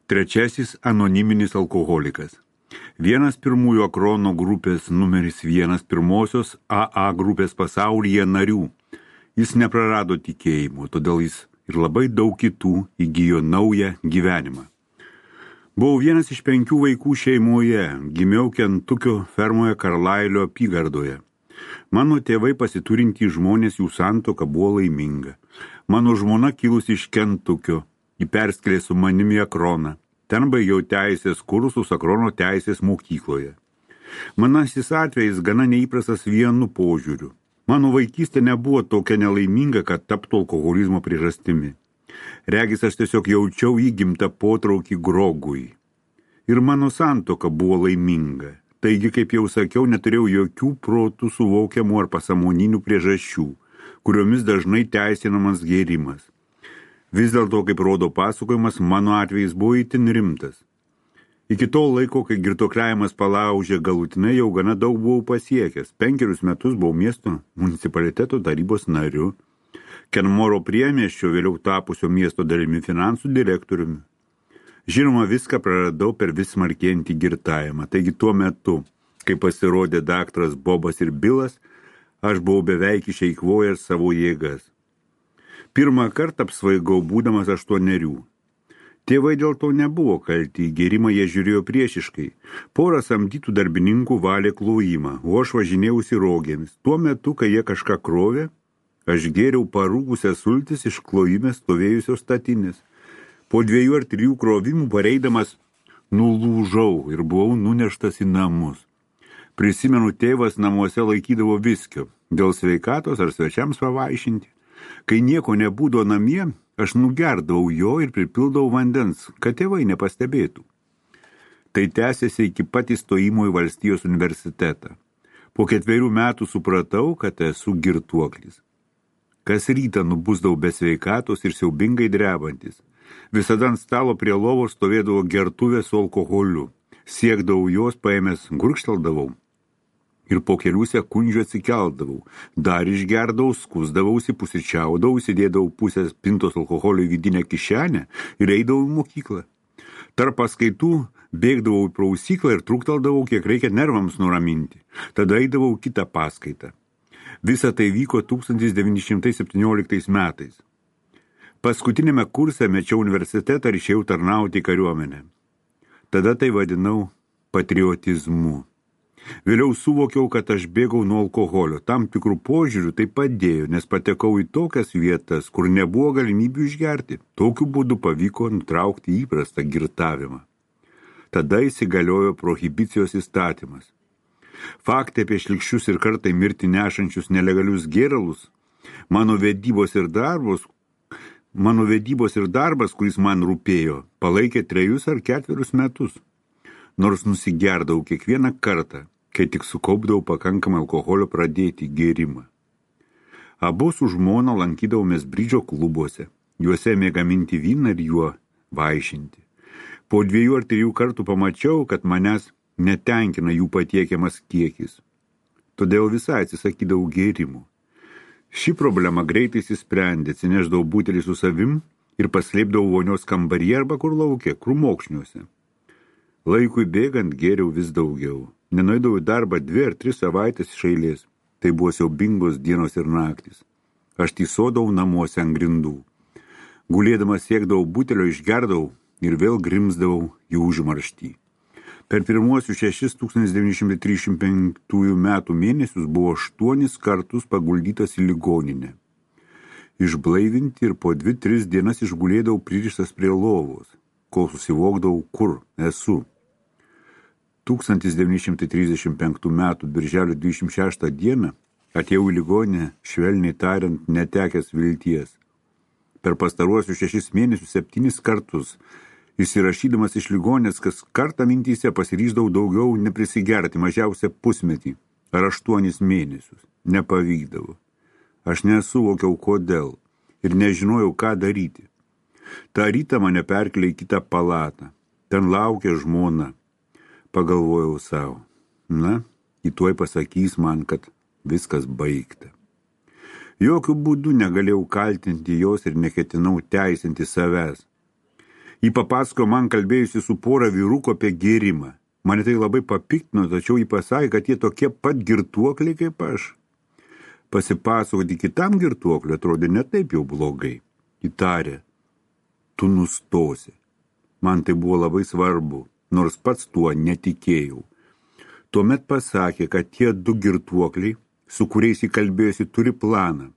Trečiasis anoniminis alkoholikas. Vienas pirmųjų Akrono grupės numeris 1 pirmosios AA grupės pasaulyje narių. Jis neprarado tikėjimo, todėl jis ir labai daug kitų įgijo naują gyvenimą. Buvau vienas iš 5 vaikų šeimoje, gimiau Kentukio fermoje Karlailio apygardoje. Mano tėvai pasiturintys žmonės, jų santuoka buvo laiminga. Mano žmona kilusi iš Kentukio, ji perskėlė su manimi Akroną. Ten baigiau teisės kursus Akrono teisės mokykloje. Manasis atvejis gana neįprastas vienu požiūriu. Mano vaikystė nebuvo tokia nelaiminga, kad taptų alkoholizmo priežastimi. Regis aš tiesiog jaučiau įgimtą potraukį grogui. Ir mano santuoka buvo laiminga. Taigi, kaip jau sakiau, neturėjau jokių protų suvokiamų ar pasąmoninių priežasčių, kuriomis dažnai teisinamas gėrimas. Vis dėlto, kaip rodo pasakojimas, mano atvejis buvo itin rimtas. Iki to laiko, kai girtuokliavimas palaužė galutinai, jau gana daug buvau pasiekęs. 5 metus buvau miesto municipaliteto tarybos nariu, Kenmoro priemiesčio, vėliau tapusio miesto dalimi finansų direktoriumi. Žinoma, viską praradau per vis smarkėjantį girtavimą. Taigi tuo metu, kai pasirodė daktaras Bobas ir Bilas, aš buvau beveik išeikvojęs savo jėgas. Pirmą kartą apsvaigau būdamas 8. Tėvai dėl to nebuvo kalti, į gėrimą jie žiūrėjo priešiškai. Porą samdytų darbininkų valė klojimą, o aš važinėjausi rogėmis. Tuo metu, kai jie kažką krovė, aš gėriau parūgusias sultis iš klojime stovėjusios statinės. Po 2 ar 3 krovimų pareidamas nulūžau ir buvau nuneštas į namus. Prisimenu, tėvas namuose laikydavo viskio, dėl sveikatos ar svečiams pavaišinti. Kai nieko nebūdavo namie, aš nugerdavau jo ir pripildavau vandens, kad tėvai nepastebėtų. Tai tęsėsi iki pat įstojimo į Valstijos universitetą. Po 4 metų supratau, kad esu girtuoklis. Kas rytą nubusdavau be sveikatos ir siaubingai drebantis. Visada ant stalo prie lovos stovėdavo gertuvė su alkoholiu. Siekdavau jos, paėmęs gurkšteldavau ir po kelių sekundžių atsikeldavau. Dar išgerdavau, skusdavausi, pusryčiaudavau, įsidėdavau pusės pintos alkoholio į vidinę kišenę ir eidavau į mokyklą. Tarp paskaitų bėgdavau į prausyklą ir trukteldavau, kiek reikia nervams nuraminti. Tada eidavau kitą paskaitą. Visa tai vyko 1917 metais. Paskutinėme kurse mečiau universitetą ir išėjau tarnauti kariuomenę. Tada tai vadinau patriotizmu. Vėliau suvokiau, kad aš bėgau nuo alkoholio. Tam tikrų požiūrių tai padėjo, nes patekau į tokias vietas, kur nebuvo galimybių išgerti. Tokiu būdu pavyko nutraukti įprastą girtavimą. Tada įsigaliojo prohibicijos įstatymas. Faktai apie šlikščius ir kartai mirti nešančius nelegalius gėralus, mano vedybos ir darbas, kuris man rūpėjo, palaikė 3 ar 4 metus. Nors nusigerdavau kiekvieną kartą, kai tik sukaupdavau pakankamai alkoholio pradėti gėrimą. Abu su žmona lankydavomės bridžo klubuose, juose mėgaminti vyną ir juo vaišinti. Po 2 ar 3 kartų pamačiau, kad manęs netenkina jų patiekiamas kiekis. Todėl visai atsisakydavau gėrimų. Ši problema greitai įsisprendė, atsineždavau butelį su savim ir paslėpdavau vonios kambaryje arba kur lauke, krūmokšniuose. Laikui bėgant gėriau vis daugiau. Nenueidavau į darbą 2 ar 3 savaitės iš eilės. Tai buvo siaubingos dienos ir naktis. Aš tysodavau namuose ant grindų. Gulėdamas siekdavau butelio, išgerdavau ir vėl grimzdavau į užmarštį. Per pirmuosius 6 1935 metų mėnesius buvo 8 kartus paguldytas į ligoninę. Išblaivinti ir po 2-3 dienas išgulėdavau pririštas prie lovos, kol susivokdavau, kur esu. 1935 metų birželio 26 dieną atėjau į ligoninę, švelniai tariant, netekęs vilties. Per pastaruosius 6 mėnesius 7 kartus įsirašydamas iš ligonės, kas kartą mintyse pasiryždavau daugiau neprisigerti, mažiausia pusmetį ar 8 mėnesius. Nepavykdavo. Aš nesuvokiau kodėl ir nežinojau, ką daryti. Ta rytą mane perkelė į kitą palatą. Ten laukė žmona. Pagalvojau savo. Na, į tuoj pasakys man, kad viskas baigta. Jokių būdų negalėjau kaltinti jos ir neketinau teisinti savęs. Jį papasakojo man kalbėjusi su pora vyrukų apie gėrimą. Mane tai labai papiktino, tačiau jį pasakė, kad jie tokie pat girtuokliai kaip aš. Pasipasakoti kitam girtuokliui atrodė ne taip jau blogai. Įtarė, tu nustosi. Man tai buvo labai svarbu, nors pats tuo netikėjau. Tuomet pasakė, kad tie 2 girtuokliai, su kuriais įkalbėjosi, turi planą,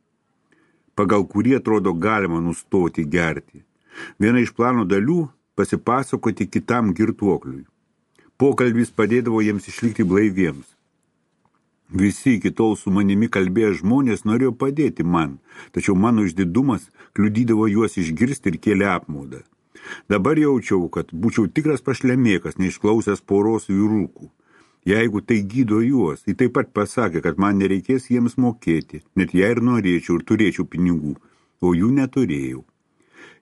pagal kurį atrodo galima nustoti gerti. Viena iš plano dalių pasipasakoti kitam girtuokliui. Pokalbis padėdavo jiems išlikti blaiviems. Visi iki tol su manimi kalbėję žmonės norėjo padėti man, tačiau mano išdidumas kliudydavo juos išgirsti ir kėlė apmaudą. Dabar jaučiau, kad būčiau tikras pašlemėkas, neišklausęs poros vyrukų. Jeigu tai gydo juos, jis taip pat pasakė, kad man nereikės jiems mokėti, net jei ir norėčiau ir turėčiau pinigų, o jų neturėjau.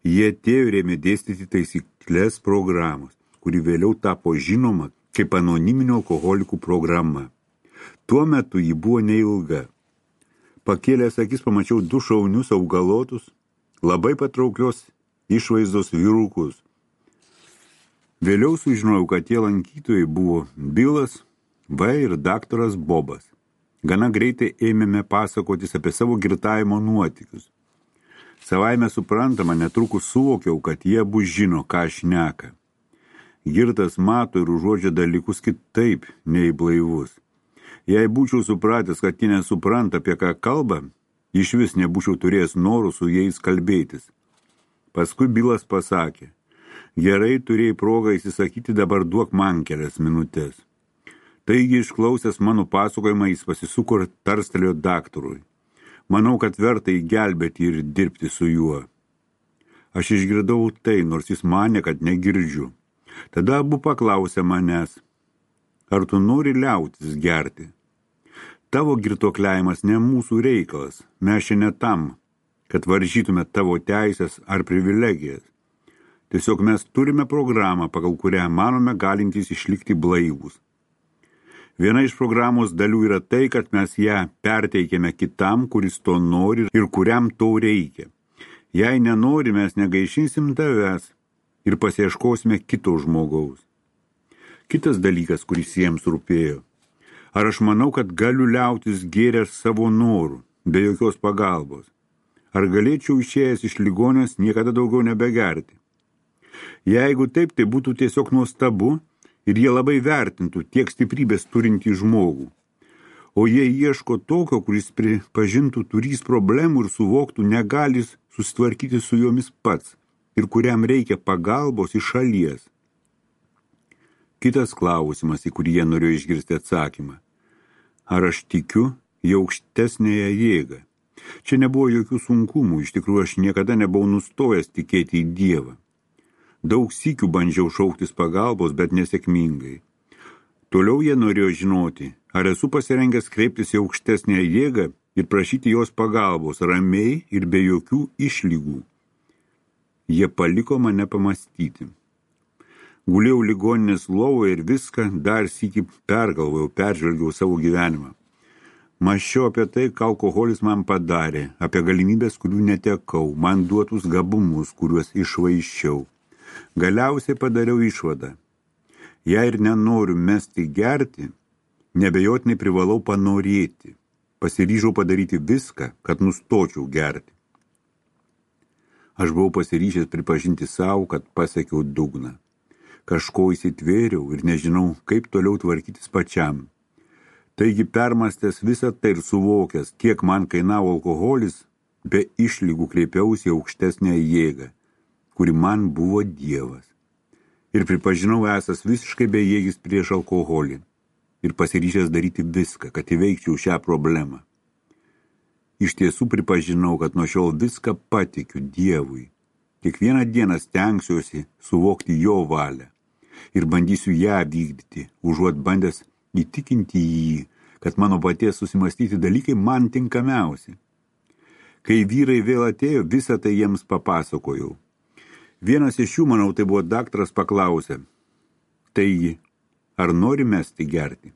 Jie atėjo ir ėmė dėstyti taisyklės programos, kuri vėliau tapo žinoma kaip anoniminių alkoholikų programa. Tuo metu ji buvo neilga. Pakėlęs akis pamačiau 2 šaunius augalotus, labai patrauklios išvaizdos vyrukus. Vėliau sužinojau, kad tie lankytojai buvo Bilas V ir daktaras Bobas. Gana greitai ėmėme pasakotis apie savo girtavimo nuotykius. Savaime suprantama, netrukus suvokiau, kad jie abu žino, ką šneka. Girtas mato ir užuodžia dalykus kitaip nei blaivus. Jei būčiau supratęs, kad jie nesupranta, apie ką kalba, iš vis nebūčiau turėjęs norų su jais kalbėtis. Paskui Bilas pasakė, gerai, turėjai progą įsisakyti, dabar duok man kelias minutės. Taigi, išklausęs mano pasakojimą, jis pasisuko ir tarstelėjo daktarui. Manau, kad verta įgelbėti ir dirbti su juo. Aš išgirdau tai, nors jis manė, kad negirdžiu. Tada abu paklausė manęs, ar tu nori liautis gerti? Tavo girtuokliavimas ne mūsų reikalas, mes čia ne tam, kad varžytume tavo teisės ar privilegijas. Tiesiog mes turime programą, pagal kurią manome galintys išlikti blaivūs. Viena iš programos dalių yra tai, kad mes ją perteikėme kitam, kuris to nori ir kuriam to reikia. Jei nenori, mes negaišinsim tavęs ir pasieškosime kito žmogaus. Kitas dalykas, kuris jiems rūpėjo. Ar aš manau, kad galiu liautis gėręs savo norų, be jokios pagalbos? Ar galėčiau išėjęs iš ligonės niekada daugiau nebegerti? Jeigu taip, tai būtų tiesiog nuostabu ir jie labai vertintų tiek stiprybės turintį žmogų. O jie ieško tokio, kuris pripažintų turys problemų ir suvoktų negalis susitvarkyti su jomis pats ir kuriam reikia pagalbos iš šalies. Kitas klausimas, į kurį jie norėjo išgirsti atsakymą. Ar aš tikiu į aukštesnėje jėgą? Čia nebuvo jokių sunkumų, iš tikrųjų aš niekada nebuvau nustojęs tikėti į Dievą. Daug sykių bandžiau šauktis pagalbos, bet nesėkmingai. Toliau jie norėjo žinoti, ar esu pasirengęs kreiptis į aukštesnę jėgą ir prašyti jos pagalbos ramiai ir be jokių išlygų. Jie paliko mane pamastyti. Gulėjau ligoninės lovoje ir viską dar sykį pergalvojau, peržvelgiau savo gyvenimą. Mąsčiau apie tai, ką alkoholis man padarė, apie galimybės, kurių netekau, man duotus gabumus, kuriuos išvaiščiau. Galiausiai padariau išvadą. Jei ir nenoriu mesti gerti, nebejotinai privalau panorėti. Pasiryžau padaryti viską, kad nustočiau gerti. Aš buvau pasiryžęs pripažinti savo, kad pasiekiau dugną. Kažko įsitvėriau ir nežinau, kaip toliau tvarkytis pačiam. Taigi permastęs visą tai ir suvokęs, kiek man kainavo alkoholis, be išlygų kreipiausi į aukštesnę jėgą, kuri man buvo Dievas. Ir pripažinau esas visiškai bejėgis prieš alkoholį ir pasiryžęs daryti viską, kad įveikčiau šią problemą. Iš tiesų pripažinau, kad nuo šiol viską patikiu Dievui. Kiekvieną dieną stengsiuosi suvokti jo valią ir bandysiu ją vykdyti, užuot bandęs įtikinti jį, kad mano paties susimastyti dalykai man tinkamiausi. Kai vyrai vėl atėjo, visą tai jiems papasakojau. Vienas iš jų, manau, tai buvo daktaras, paklausė, taigi, ar nori mesti gerti?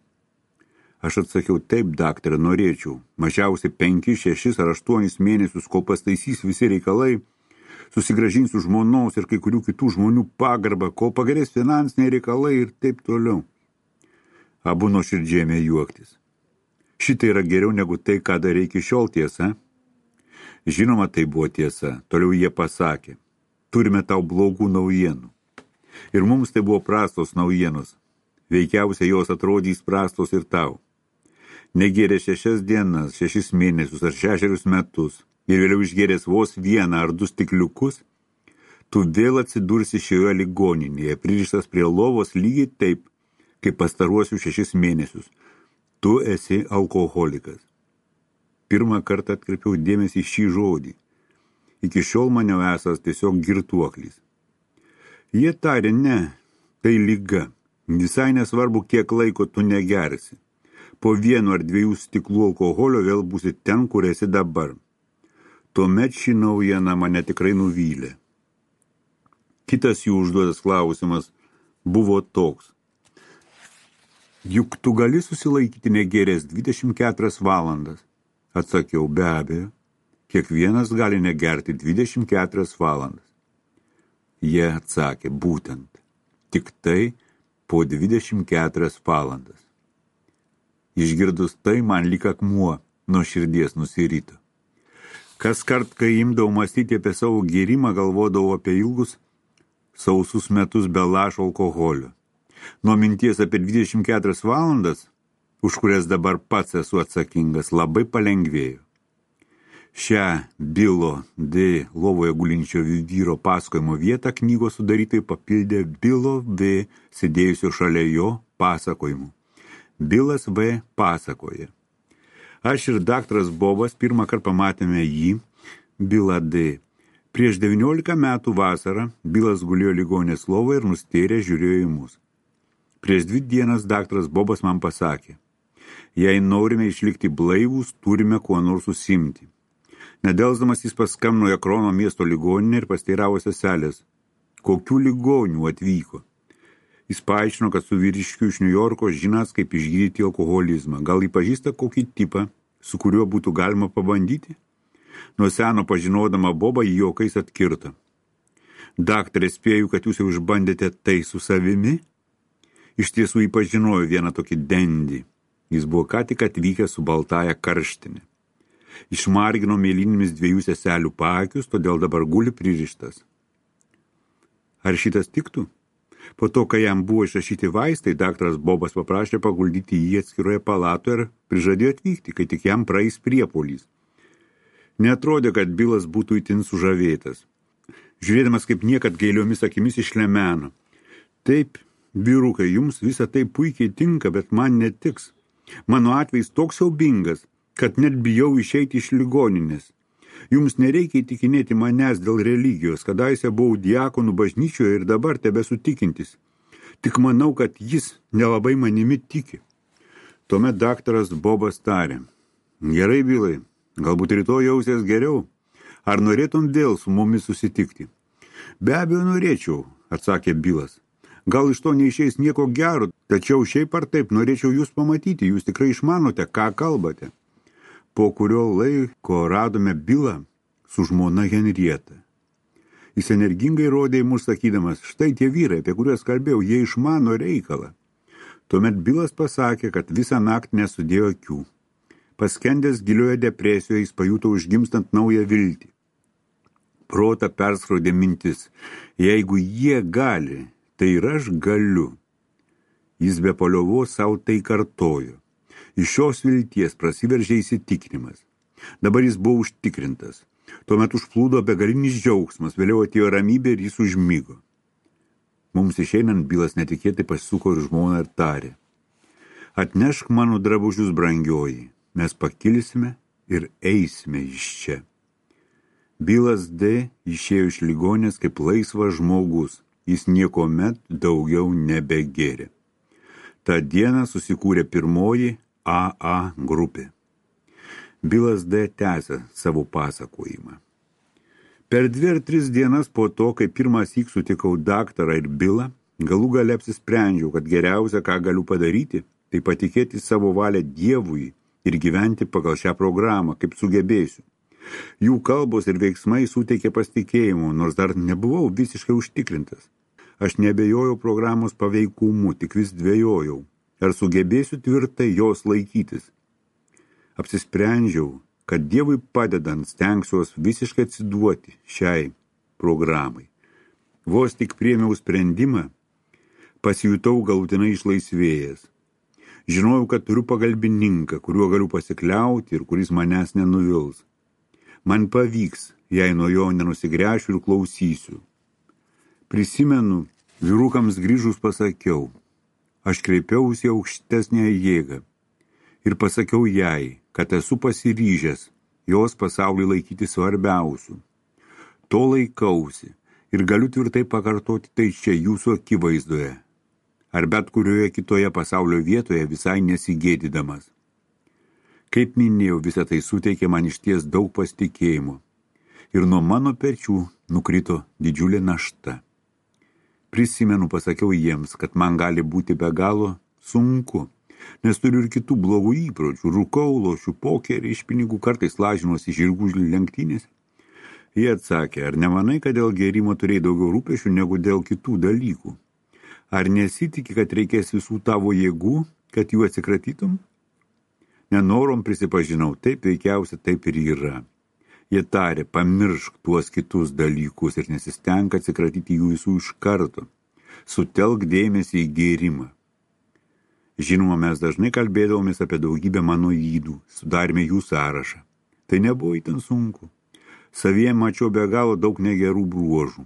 Aš atsakiau, taip, daktare, norėčiau. Mažiausiai 5, 6 ar 8 mėnesius, kol pastaisys visi reikalai, Susigrąžinsiu žmonos ir kai kurių kitų žmonių pagarbą, kol pagerės finansiniai reikalai ir taip toliau. Abu nuoširdžiai ėmė juoktis. Šitai yra geriau negu tai, ką darė iki šiol, tiesa? Žinoma, tai buvo tiesa. Toliau jie pasakė. Turime tau blogų naujienų. Ir mums tai buvo prastos naujienos. Veikiausiai jos atrodys prastos ir tau. Negėrė 6 dienas, 6 mėnesius ar 6 metus ir vėliau išgėręs vos 1 ar 2 stikliukus, tu vėl atsidursi šioje ligoninėje, pririštas prie lovos lygiai taip, kaip pastaruosius 6 mėnesius. Tu esi alkoholikas. Pirmą kartą atkreipiau dėmesį šį žodį. Iki šiol maniau esas tiesiog girtuoklis. Jie tarė, ne, tai liga. Visai nesvarbu, kiek laiko tu negersi. Po 1 ar 2 stiklų alkoholio vėl būsi ten, kur esi dabar. Tuomet ši naujiena mane tikrai nuvylė. Kitas jų užduotas klausimas buvo toks. Juk tu gali susilaikyti negėręs 24 valandas. Atsakiau, be abejo, kiekvienas gali negerti 24 valandas. Jie atsakė, būtent, tik tai po 24 valandas. Išgirdus tai, man lyg akmuo nuo širdies nusirito. Kas kart, kai imdavau mąstyti apie savo gėrimą, galvodavau apie ilgus, sausus metus be lašo alkoholio. Nuo minties apie 24 valandas, už kurias dabar pats esu atsakingas, labai palengvėjo. Šią Bilo D. lovoje gulinčio vyro pasakojimo vietą knygos sudarytojai papildė Bilo V. sėdėjusio šalia jo pasakojimu. Bilas V. pasakoja. Aš ir daktaras Bobas pirmą kartą pamatėme jį, Bilą D. Prieš 19 metų vasarą Bilas gulėjo ligoninės lovoje ir nustėrė žiūrėjo į mus. Prieš 2 dienas daktaras Bobas man pasakė, jei norime išlikti blaivūs, turime kuo nors užsiimti. Nedelsdamas jis paskambino į Akrono miesto ligoninę ir pasteiravo seselės, kokių ligonių atvyko. Jis paaiškino, kad su vyriškiu iš New Yorko žinas, kaip išgydyti alkoholizmą. Gal jį pažįsta kokį tipą, su kuriuo būtų galima pabandyti? Nuo seno pažinodama Bobą jį juokais atkirto. Daktarė, spėju, kad jūs jau išbandėte tai su savimi? Iš tiesų jį pažinojo vieną tokį dendį. Jis buvo ką tik atvykęs su baltąja karštinė. Išmargino mėlynimis 2 seselių paakius, todėl dabar guli pririštas. Ar šitas tiktų? Po to, kai jam buvo išrašyti vaistai, daktaras Bobas paprašė paguldyti jį atskiroje palatoje ir prižadėjo atvykti, kai tik jam praeis priepuolys. Neatrodė, kad Bilas būtų itin sužavėtas. Žiūrėdamas kaip niekad gailiomis akimis išlemeno. Taip, vyrukai, jums visa tai puikiai tinka, bet man netiks. Mano atvejs toks siaubingas, kad net bijau išeiti iš ligoninės. Jums nereikia įtikinėti manęs dėl religijos, kadaise buvau diakonų bažnyčioje ir dabar tebesu tikintis. Tik manau, kad jis nelabai manimi tiki. Tuomet daktaras Bobas tarė, gerai, Bilai, galbūt rytoj jausies geriau. Ar norėtum vėl su mumis susitikti? Be abejo norėčiau, atsakė Bilas. Gal iš to neišeis nieko gero, tačiau šiaip ar taip norėčiau jūs pamatyti, jūs tikrai išmanote, ką kalbate. Po kurio laiko radome Bilą su žmona Henrieta. Jis energingai rodė į mus sakydamas, štai tie vyrai, apie kuriuos kalbėjau, jie išmano reikalą. Tuomet Bilas pasakė, kad visą naktį nesudėjo akių. Paskendęs gilioje depresijoje jis pajuto užgimstant naują viltį. Protą perskrodė mintis, jeigu jie gali, tai ir aš galiu. Jis be paliovos savo tai kartojo. Iš šios vilties prasiveržė įsitikinimas. Dabar jis buvo užtikrintas. Tuomet užplūdo begalinis džiaugsmas, vėliau atėjo ramybė ir jis užmigo. Mums išeinant Bilas netikėtai pasisuko ir žmoną ir tarė. Atnešk mano drabužius, brangioji, mes pakilsime ir eisime iš čia. Bilas D. išėjo iš ligonės kaip laisvas žmogus, jis niekomet daugiau nebegėrė. Ta diena susikūrė pirmoji AA grupė. Bilas D. tęsė savo pasakojimą. Per 2 ar 3 dienas po to, kai pirmąsyk sutikau daktarą ir Bilą, galų gale apsisprendžiau, kad geriausia, ką galiu padaryti, tai patikėti savo valią Dievui ir gyventi pagal šią programą, kaip sugebėsiu. Jų kalbos ir veiksmai suteikė pasitikėjimo, nors dar nebuvau visiškai užtikrintas. Aš nebejojau programos paveikumu, tik vis dvejojau, ar sugebėsiu tvirtai jos laikytis. Apsisprendžiau, kad Dievui padedant stengsiuos visiškai atsiduoti šiai programai. Vos tik priėmiau sprendimą, pasijutau galutinai išlaisvėjęs. Žinojau, kad turiu pagalbininką, kuriuo galiu pasikliauti ir kuris manęs nenuvils. Man pavyks, jei nuo jo nenusigręšiu ir klausysiu. Prisimenu, vyrukams grįžus pasakiau, aš kreipiausi aukštesnę jėgą ir pasakiau jai, kad esu pasiryžęs jos pasaulį laikyti svarbiausiu. To laikausi ir galiu tvirtai pakartoti tai čia jūsų akivaizdoje, ar bet kurioje kitoje pasaulio vietoje visai nesigėdydamas. Kaip minėjau, visą tai suteikė man išties daug pasitikėjimo ir nuo mano pečių nukrito didžiulė našta. Prisimenu, pasakiau jiems, kad man gali būti be galo sunku, nes turiu ir kitų blogų įpročių, rūkau, lošiu pokerį iš pinigų, kartais lažinuosi žirgų lenktynėse. Jie atsakė, ar nemanai, kad dėl gėrimo turėjai daugiau rūpešių negu dėl kitų dalykų? Ar nesitiki, kad reikės visų tavo jėgų, kad jų atsikratytum? Nenorom prisipažinau, taip veikiausia taip ir yra. Jie tarė, pamiršk tuos kitus dalykus ir nesistenk atsikratyti jų visų iš karto. Sutelk dėmesį į gėrimą. Žinoma, mes dažnai kalbėdavomės apie daugybę mano ydų, sudarėme jų sąrašą. Tai nebuvo itin sunku. Savyje mačiau be galo daug negerų bruožų.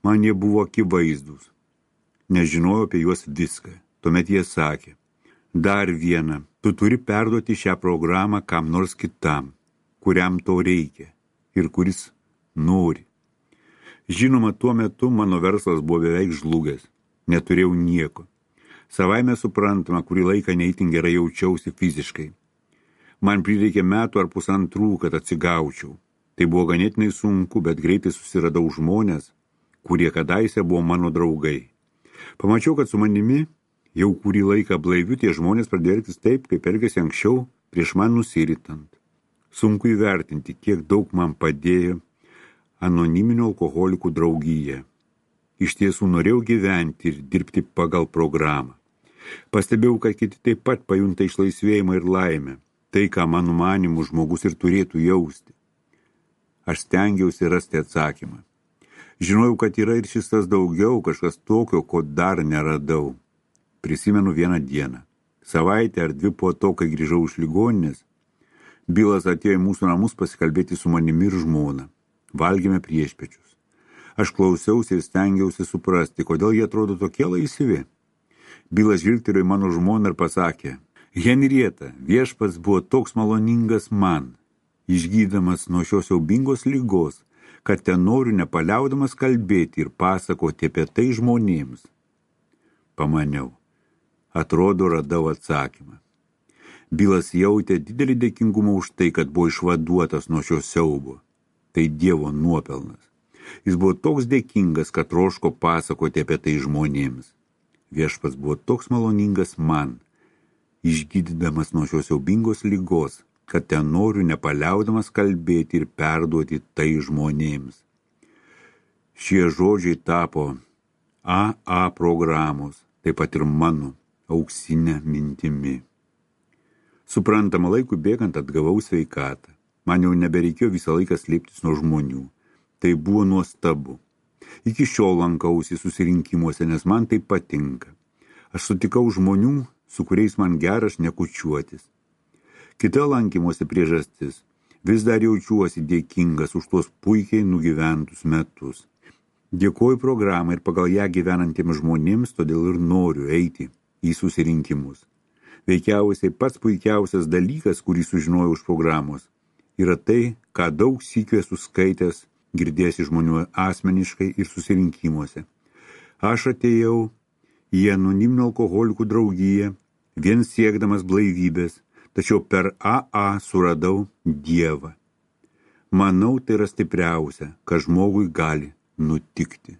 Man jie buvo akivaizdūs. Nežinojau apie juos viską. Tuomet jie sakė, dar viena, tu turi perduoti šią programą kam nors kitam, kuriam to reikia ir kuris nori. Žinoma, tuo metu mano verslas buvo beveik žlugęs. Neturėjau nieko. Savaime suprantama, kurį laiką neįtin gerai jaučiausi fiziškai. Man prireikė metų ar pusantrų, kad atsigaučiau. Tai buvo ganėtinai sunku, bet greitai susiradau žmonės, kurie kadaise buvo mano draugai. Pamačiau, kad su manimi jau kurį laiką blaiviu tie žmonės pradėjo elgtis taip, kaip elgėsi anksčiau, prieš man nusiritant. Sunku įvertinti, kiek daug man padėjo anoniminių alkoholikų draugija. Iš tiesų norėjau gyventi ir dirbti pagal programą. Pastebėjau, kad kiti taip pat pajunta išlaisvėjimą ir laimę. Tai, ką mano manimu žmogus ir turėtų jausti. Aš stengiausi rasti atsakymą. Žinojau, kad yra ir šis tas daugiau, kažkas tokio, ko dar neradau. Prisimenu vieną dieną. Savaitę ar dvi po to, kai grįžau iš ligoninės, Bilas atėjo į mūsų namus pasikalbėti su manimi ir žmona. Valgėme priešpečius. Aš klausiausi ir stengiausi suprasti, kodėl jie atrodo tokie laisvi. Bilas žvilgtelėjo į mano žmoną ir pasakė, Henrieta, viešpats buvo toks maloningas man, išgydamas nuo šios siaubingos ligos, kad ten noriu nepaliaudamas kalbėti ir pasakoti apie tai žmonėms. Pamaniau, atrodo radau atsakymą. Bilas jautė didelį dėkingumą už tai, kad buvo išvaduotas nuo šio siaubo. Tai Dievo nuopelnas. Jis buvo toks dėkingas, kad troško pasakoti apie tai žmonėms. Viešpats buvo toks maloningas man, išgydydamas nuo šios siaubingos ligos, kad ten noriu nepaliaudamas kalbėti ir perduoti tai žmonėms. Šie žodžiai tapo AA programos, taip pat ir mano auksinė mintimi. Suprantama, laikui bėgant atgavau sveikatą. Man jau nebereikėjo visą laiką slėptis nuo žmonių. Tai buvo nuostabu. Iki šiol lankausi susirinkimuose, nes man tai patinka. Aš sutikau žmonių, su kuriais man gera šnekučiuotis. Kita lankymosi priežastis. Vis dar jaučiuosi dėkingas už tuos puikiai nugyventus metus. Dėkoju programą ir pagal ją gyvenantiems žmonėms, todėl ir noriu eiti į susirinkimus. Veikiausiai pats puikiausias dalykas, kurį sužinojau iš programos, yra tai, ką daug sykių esu skaitęs, girdėjęs iš žmonių asmeniškai ir susirinkimuose. Aš atėjau į anoniminių alkoholikų draugiją, vien siekdamas blaivybės, tačiau per AA suradau Dievą. Manau, tai yra stipriausia, ką žmogui gali nutikti.